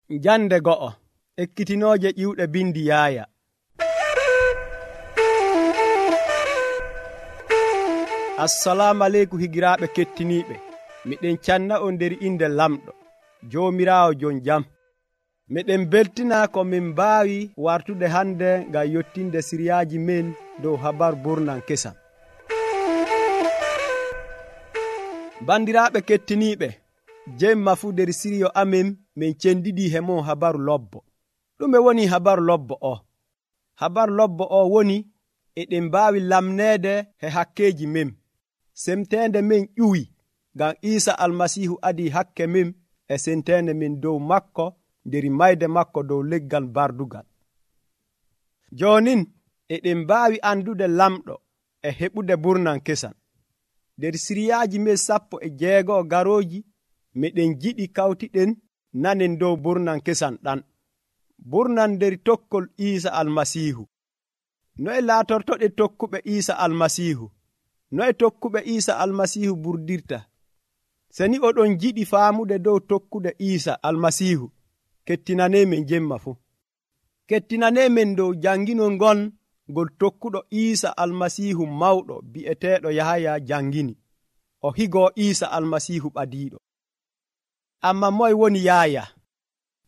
Jande go'o ekkitinooje ƴiwɗe bindi Yaaya. Assalamu aleykum higiraaɓe kettiniiɓe. Miɗen canna on nder inde lamɗo Joomiraawo jon jam. Miɗen beltina ko min mbaawi wartude hande ngam yottinde siriyaaji men dow habaru burnan kesam. Bandiraaɓe kettiniiɓe, jemma fuu nder siriyo amen min cendidii he mon habaru lobbo. Ɗume woni habaru lobbo o? Habaru lobbo o woni eɗen mbaawi lamneede he hakkeeji men. Semteende men ƴuwi ngam Iisa Almasiihu adii hakke men e senteende men dow makko nder mayde makko dow leggal bardugal. Joonin eɗen mbaawi andude lamɗo e heɓude burnan kesam. Nder siriyaaji men 16 garooji meɗen jiɗi kawtiɗen nanen dow burnan kesam ɗan. Burnan nder tokkol Iisa Almasiihu. Noye laatortoɗe tokkuɓe Iisa Almasiihu? Noye tokkuɓe Iisa Almasiihu burdirta? Seni oɗon jiɗi faamude dow tokkude Iisa Almasiihu, kettinaneemen jemma fuu. Kettinaneemen dow janginol ngon ngol tokkuɗo Iisa Almasiihu mawɗo bi'eteeɗo Yahaya jangini. O higoo Iisa Almasiihu ɓadiiɗo. Amma moye woni Yaaya?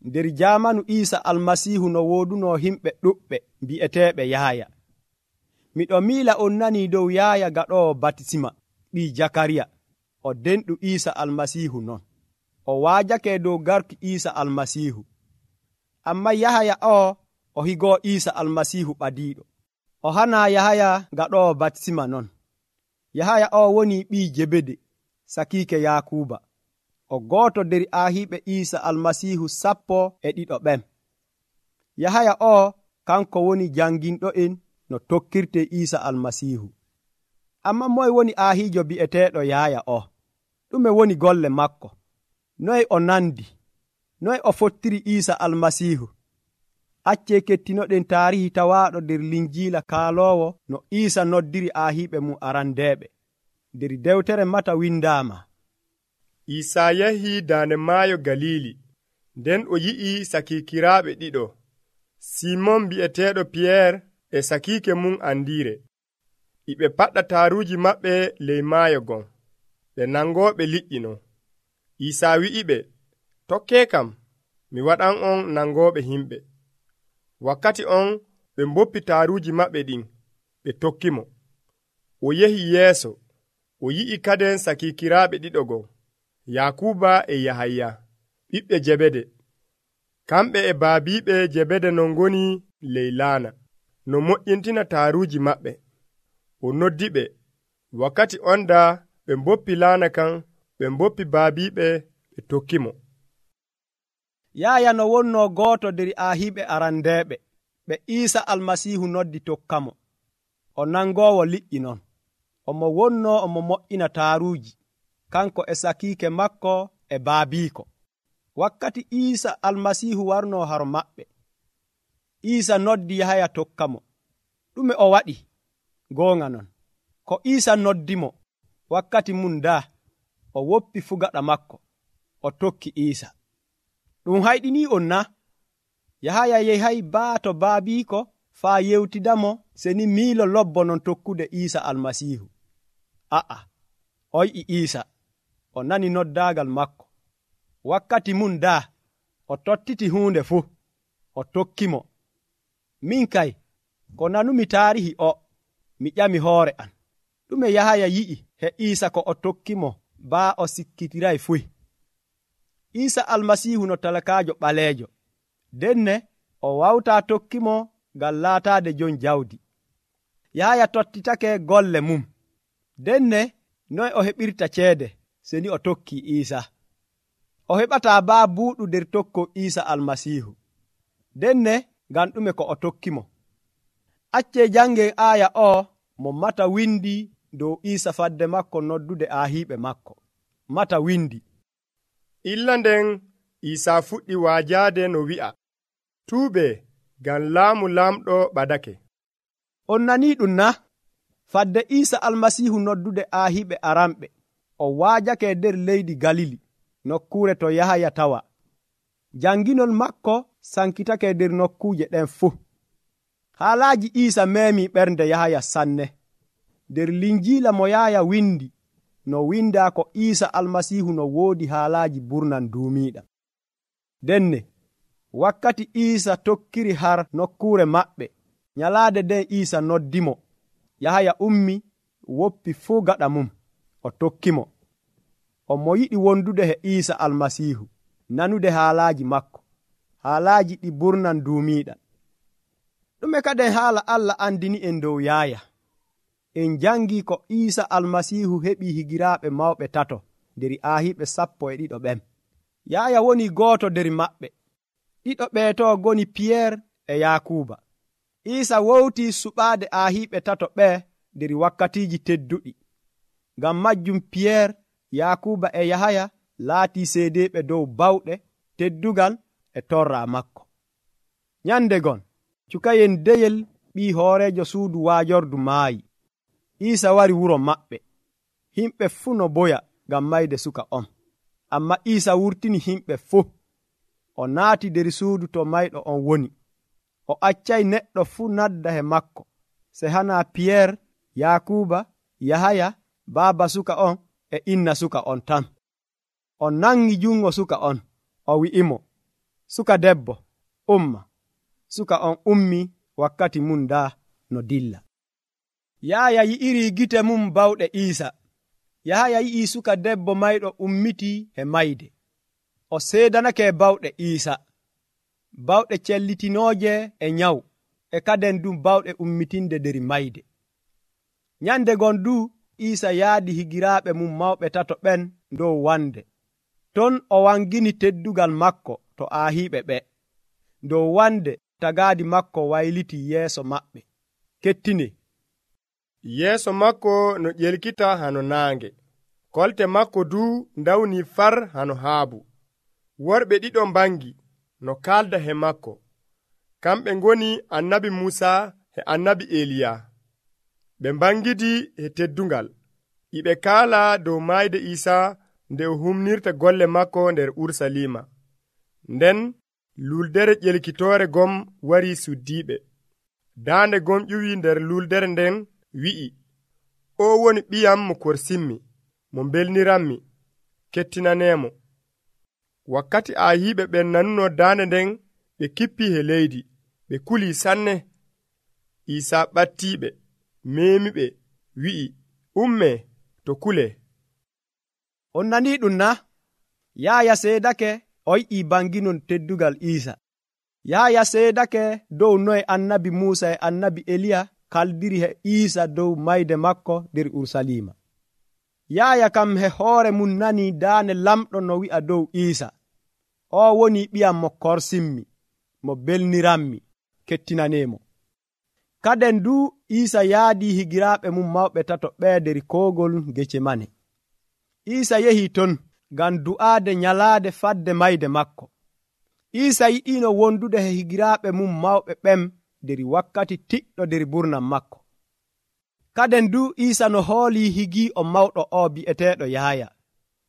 Nder jaamanu Iisa Almasiihu no woodunoo himɓe ɗuɓɓe bi'eteeɓe Yaaya. Miɗo miila on nanii dow Yaaya gaɗoowo batisima ɓii Jakariya, o denɗu Iisa Almasiihu non. O waajake dow garki Iisa Almasiihu. Amma Yahaya o higoo Iisa Almasiihu ɓadiiɗo. O hanaa Yahaya gaɗoowo batisima non. Yahaya woni ɓii Jebede, sakiike Yaakuuba. O gooto nder aahiiɓe Iisa Almasiihu 12 ɓen. Yahaya kanko woni janginɗo'en no tokkirte Iisa Almasiihu. Amma moye woni aahiijo bi'eteeɗo Yaaya o? Ɗume woni golle makko? Noye o nandi? Noye o fottiri Iisa Almasiihu? Accee kettinoɗen taarihi tawaaɗo nder Linjiila kaaloowo no Iisa noddiri aahiiɓe mum arandeeɓe. Nder dewtere Mata windaama: Iisaa yahii daande maayo Galiili, nden o yi'i sakiikiraaɓe ɗiɗo, Simon bi'eteeɗo Piyeer e sakiike mum Andiire. Iɓe paɗɗa taaruuji maɓɓe ley maayo gon, ɓe nangooɓe liƴƴi non. Iisaa wi'iɓe, tokkee kam, mi waɗan on nangooɓe himɓe. Wakkati on ɓe mboppi taaruuji maɓɓe ɗin, ɓe tokkimo. O yehi yeeso, o yi'i kaden sakiikiraaɓe ɗiɗo gon, Yaakuuba e Yahaya, ɓiɓɓe Jebede. Kamɓe e baabiiɓe Jebede non ngoni ley laana, no moƴƴintina taaruuji maɓɓe. O noddi ɓe. Wakkati on daa ɓe mboppi laana kan, ɓe mboppi baabiiɓe, ɓe tokkimo. Yaaya no wonnoo gooto nder aahiiɓe arandeeɓe ɓe Iisa Almasiihu noddi tokkamo. O nangoowo liƴƴi non. Omo wonnoo omo moƴƴina taaruuji, kanko e sakiike makko e baabiiko. Wakkati Iisa Almasiihu warnoo haro maɓɓe, Iisa noddi Yahaya tokkamo. Ɗume o waɗi? Goonga non, ko Iisa noddimo, wakkati mum daa o woppi fugaɗa makko, o tokki Iisa. Ɗum hayɗinii on na? Yahaya yehay baato baabiiko faa yewtidamo seni miilo lobbo non tokkude Iisa Almasiihu. O yi'i Iisa, o nani noddaagal makko. Wakkati mum daa o tottiti huunde fuu, o tokkimo. Min kay, ko nanumi taarihi mi ƴami hoore am. Ɗume Yahaya yi'i he Iisa ko o tokkimo baa o sikkitiray fuy? Iisa Almasiihu no talakaajo ɓaleejo. Denne o wawtaa tokkimo ngam laataade jon jawdi. Yahaya tottitake golle mum. Denne noye o heɓirta ceede seni o tokkii Iisa? O heɓataa baa buuɗu nder tokko Iisa Almasiihu. Denne ngam ɗume ko o tokkimo? Accee jangen aaya mo Mata windi dow Iisa fadde makko noddude aahiiɓe makko. Mata windi: Illa nden Iisaa fuɗɗi waajaade no wi'a, tuubee ngam laamu laamɗo ɓadake. On nanii ɗum na? Fadde Iisa Almasiihu noddude aahiiɓe aranɓe, o waajake nder leydi Galili, nokkuure to Yahaya tawa. Janginol makko sankitake nder nokkuuje ɗen fuu. Haalaaji Iisa meemi ɓernde Yahaya sanne. Nder linjiila mo Yahaya windi no windaa ko Iisa Almasiihu no woodi haalaaji burnan duumiiɗam. Denne wakkati Iisa tokkiri har nokkuure maɓɓe, nyalaade nden Iisa noddimo. Yahaya ummi woppi fuu gaɗa mum, o tokkimo. O mo yiɗi wondude he Iisa Almasiihu, nanude haalaaji makko, haalaaji ɗi burnan duumiiɗam. Ɗume kaden haala Allah andini en dow Yahaya? En jangi ko Iisa Almasiihu heɓi higiraaɓe mawɓe tato nder aahiɓe 12 ɓen. Yahaya woni gooto nder maɓɓe. Ɗiɗo ɓeeto goni Piyeer e Yaakuba. Iisa wowti suɓaade aahiɓe tato ɓe nder wakkatiiji tedduɗi. Ngam majjum Piyeer, Yaakuba e Yahaya laatii seedeeɓe dow bawɗe, teddugal e torra makko. Nyande gon, cukayen deyel ɓii hooreejo suudu waajordu maayi. Iisa wari wuro maɓɓe. Himɓe fuu no boya ngam mayde suka on. Amma Iisa wurtini himɓe fuu. O naati nder suudu to mayɗo on woni. O accay neɗɗo fuu nadda he makko, se hana Piyeer, Yaakuba, Yahaya, baaba suka on e inna suka on tan. O nangi jungo suka on, o wi'imo, suka debbo, umma. Suka on ummi wakkati mum daa no dilla. Yahaya yi'iri gite mum bawɗe Iisa. Yahaya yi'i suka debbo mayɗo ummitii he mayde. O seedanake bawɗe Iisa, bawɗe cellitinooje e nyawu, e kaden dum bawɗe ummitinde nder mayde. Nyande gon du Iisa yaadi higiraaɓe mum mawɓe tato ɓen dow wande. Ton o wangini teddugal makko to aahiɓe ɓe. Dow wande tagaadi makko wayliti yeeso maɓɓe. Kettine. Yeeso makko no ƴelkita hano naange. Kolte makko du ndawni far hano haabu. Worɓe ɗiɗo mbangi no kalda he makko. Kamɓe ngoni annabi Muusa e annabi Eliya. Ɓe mbangidi he teddungal. Iɓe kaala dow mayde Iisa nde o humnirta golle makko nder Urusalima. Nden luldere ƴelkitoore gom wari suddiiɓe. Daande gom ƴuwi nder luldere nden wi'i, o woni ɓiyam mo korsimmi, mo belniranmi, kettinaneemo. Wakkati aahiɓe ɓen nanuno daande nden, ɓe kippi he leydi, ɓe kuli sanne. Iisa ɓattiiɓe, meemiɓe, wi'i, umme to kule. On nanii ɗum na? Yahaya seedake o yi'i banginon teddugal Iisa. Yahaya seedake dow noye annabi Muusa e annabi Eliya kaldiri he Iisa dow mayde makko nder Urusalima. Yahaya kam he hoore mum nani daane lamɗo no wi'a dow Iisa, o woni ɓiyam mo korsimmi, mo belniranmi, kettinaneemo. Kaden du Iisa yaadi higiraaɓe mum mawɓe tato ɓe nder koogol Getsemane. Iisa yehi ton ngam du'aade nyalaade fadde mayde makko. Iisa yiɗino wondude he higiraaɓe mum mawɓe ɓen nder wakkati tiɗɗo nder burnam makko. Kaden du Iisa no hooli higi o mawɗo o bi'eteeɗo Yahaya.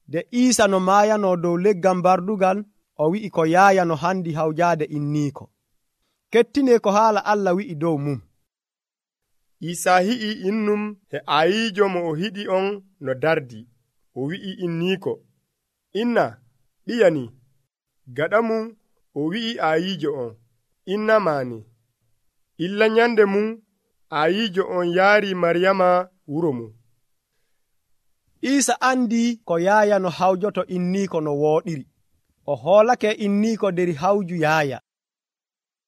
De Iisa no maayano dow leggal bardugal, o wi'i ko Yahaya no handi hawjaade inniiko. Kettine ko haala Allah wi'i dow mum. Iisa hi'i innum he ayiijo mo o hiɗi on no dardi. O wi'i inniiko, inna, ɓiyani. Gaɗa mum o wi'i ayiijo on, inna maani. Illa nyande mum ayiijo on yaari Maryama wuro mum. Iisa andi ko Yahaya no hawjoto inniiko no wooɗiri. O hoolake inniiko nder hawju Yahaya.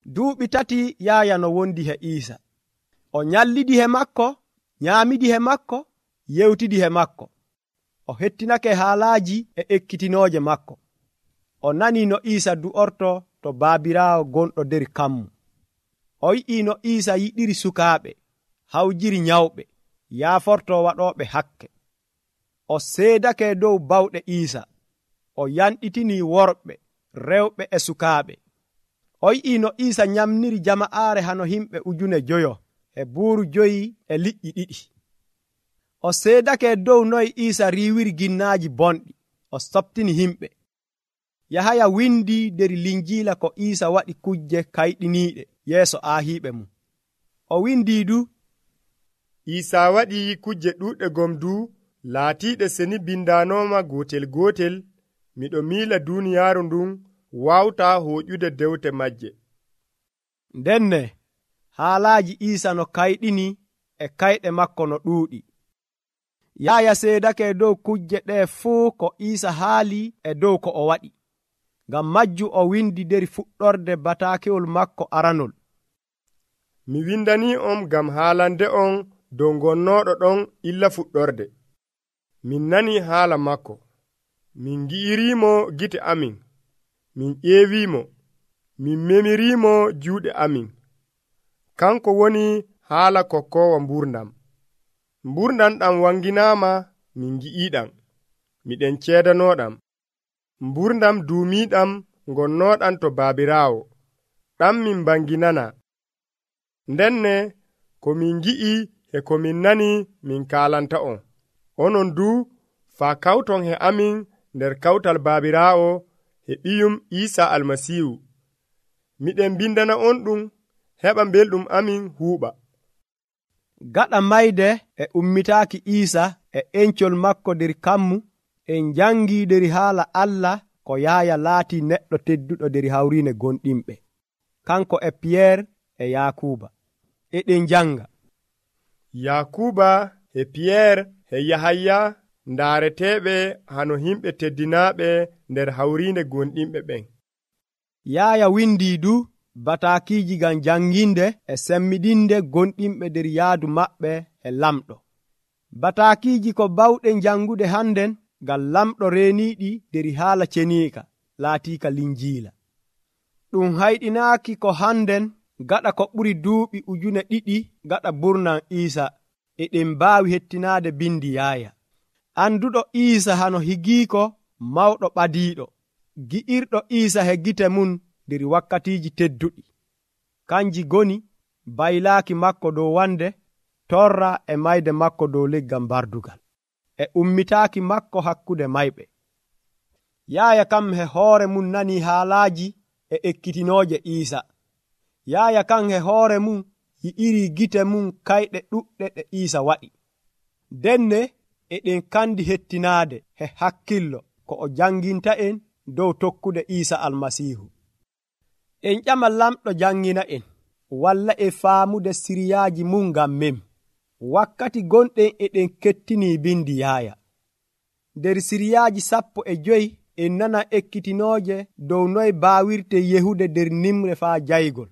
Duuɓi 3 Yahaya no wondi he Iisa. O nyallidi he makko, nyaamidi he makko, yewtidi he makko. O hettinake haalaaji e ekkitinooje makko. O nani no Iisa du'orto to baabiraawo gonɗo nder kammu. O yi'i no Iisa yiɗiri sukaaɓe, hawjiri nyawɓe, yaaforto waɗooɓe hakke. O seedake dow bawɗe Iisa. O yanɗitini worɓe, rewɓe e sukaaɓe. O yi'i no Iisa nyamniri jama'aare hano himɓe 5,000 e buuru 5 e liƴƴi 2. O seedake dow noye Iisa riiwiri ginnaaji bonɗi. O softini himɓe. Yahaya windi nder linjiila ko Iisa waɗi kujje kayɗiniiɗe yeeso aahiiɓe mum. O windi du: Iisa waɗi kujje ɗuuɗɗe gom du laatiiɗe seni bindaanooma gootel gootel. Miɗo miila duuniyaaru ndun wawtaa hooƴude dewte majje. Ndenne haalaaji Iisa no kayɗini e kayɗe makko no ɗuuɗi. Yahaya seedake dow kujje ɗe fuu ko Iisa haali e dow ko o waɗi. Ngam majju o windi nder fuɗɗorde bataakewol makko aranol. Mi windanii on ngam haalande on dow gonnooɗo ɗon illa fuɗɗorde. Min nanii haala makko. Min ngi'iriimo gite amin. Min ƴeewiimo. Min memiriimo juuɗe amin. Kanko woni haala kokkoowo mburdam. Mburdam ɗam wanginaama, min ngi'iiɗam. Miɗen ceedanooɗam. Mburdam duumiiɗam gonnooɗam to baabiraawo. Ɗam min banginana. Ndenne ko min ngi'i e ko min nani min kaalanta on. Onon du faa kawton he amin nder kawtal baabiraawo e ɓiyum Iisa Almasiihu. Miɗen bindana on ɗum heɓa belɗum amin huuɓa. Gaɗa mayde e ummitaaki Iisa e encol makko nder kammu, en jangii nder haala Allah ko Yahaya laati neɗɗo tedduɗo nder hawriine gonɗinɓe, kanko e Piyeer e Yaakuba. Eɗen janga: Yaakuba e Piyeer e Yahaya ndaareteeɓe hano himɓe teddinaaɓe nder hawriinde gonɗinɓe ɓen. Yahaya windi du bataakiiji ngam janginde e semmiɗinde gonɗinɓe nder yaadu maɓɓe e lamɗo. Bataakiiji ko bawɗen jangude hannden ngam lamɗo reeniiɗi nder haala ceniika laatiika linjiila. Ɗum hayɗinaaki ko hannden gaɗa ko ɓuri duuɓi 2,000 gaɗa burnam Iisa eɗen mbaawi hettinaade bindi Yahaya. Anduɗo Iisa hano higiiko mawɗo ɓadiiɗo, gi'irɗo Iisa he gite mum nder wakkatiiji tedduɗi. Kanji goni baylaaki makko dow wande, torra e mayde makko dow leggal bardugal, e ummitaaki makko hakkude mayɓe. Yahaya kam he hoore mum nani haalaaji e ekkitinooje Iisa. Yahaya kan he hoore mum yi'iri gite mum kayɗe ɗuɗɗe ɗe Iisa waɗi. Denne eɗen kandi hettinaade he hakkillo ko o janginta en dow tokkude Iisa Almasiihu. En ƴama lamɗo jangina en, walla e faamude siriyaaji mum ngam men. Wakkati gonɗen eɗen kettinii bindi Yahaya. Nder siriyaaji 15 en nana ekkitinooje dow noye baawirte yehude nder nimre faa jaygol,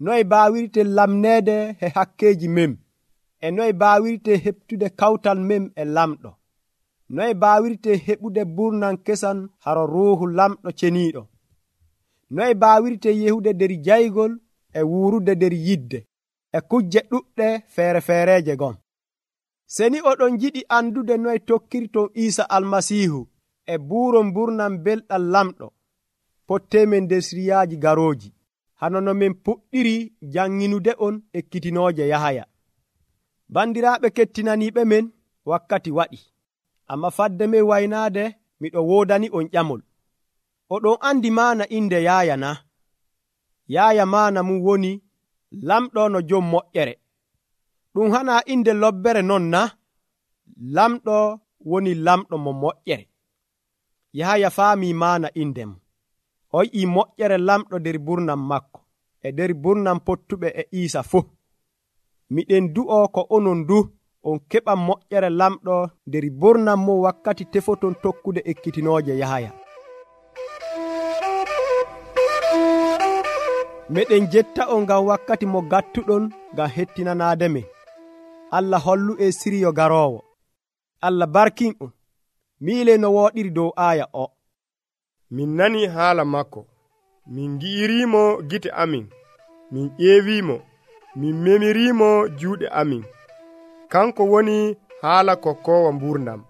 noye baawirte lamneede he hakkeeji mem, e noye baawirte heɓtude kawtal mem e lamɗo, noye baawirte heɓude burnam kesan haro ruuhu lamɗo ceniiɗo, noye baawirte yehude nder jaygol e wuurude nder yidde, e kujje ɗuɗɗe feere-feereeje gon. Seni oɗon jiɗi andude noye tokkirton Iisa Almasiihu e buuron burnam belɗam lamɗo, pottemen nder siriyaaji garooji, hano no min puɗɗiri janginude on ekkitinooje Yahaya. Bandiraaɓe kettinaniiɓe men, wakkati waɗi, amma fadde men waynaade miɗo woodani on ƴamol. Oɗon andi maana inde Yahaya na? Yahaya maana mum woni lamɗo no jom moƴƴere. Ɗum hana inde lobbere non na? Lamɗo woni lamɗo mo moƴƴere. Yahaya faami maana inde mum. O yi'i moƴƴere lamɗo nder burnam makko e nder burnam pottuɓe e Iisa fuu. Miɗen du'o ko onon du on keɓa moƴƴere lamɗo nder burnam mum wakkati tefoton tokkude ekkitinooje Yahaya. Meɗen jetta on ngam wakkati mo gattuɗon ngam hettinanaade men. Allah hollu e siriyo garoowo. Allah barkin on. Miile no wooɗiri dow aaya o. Min nani haala makko. Min ngi'iriimo gite amin. Min ƴeewiimo. Min memiriimo juuɗe amin. Kanko woni haala kokkoowo mburdam.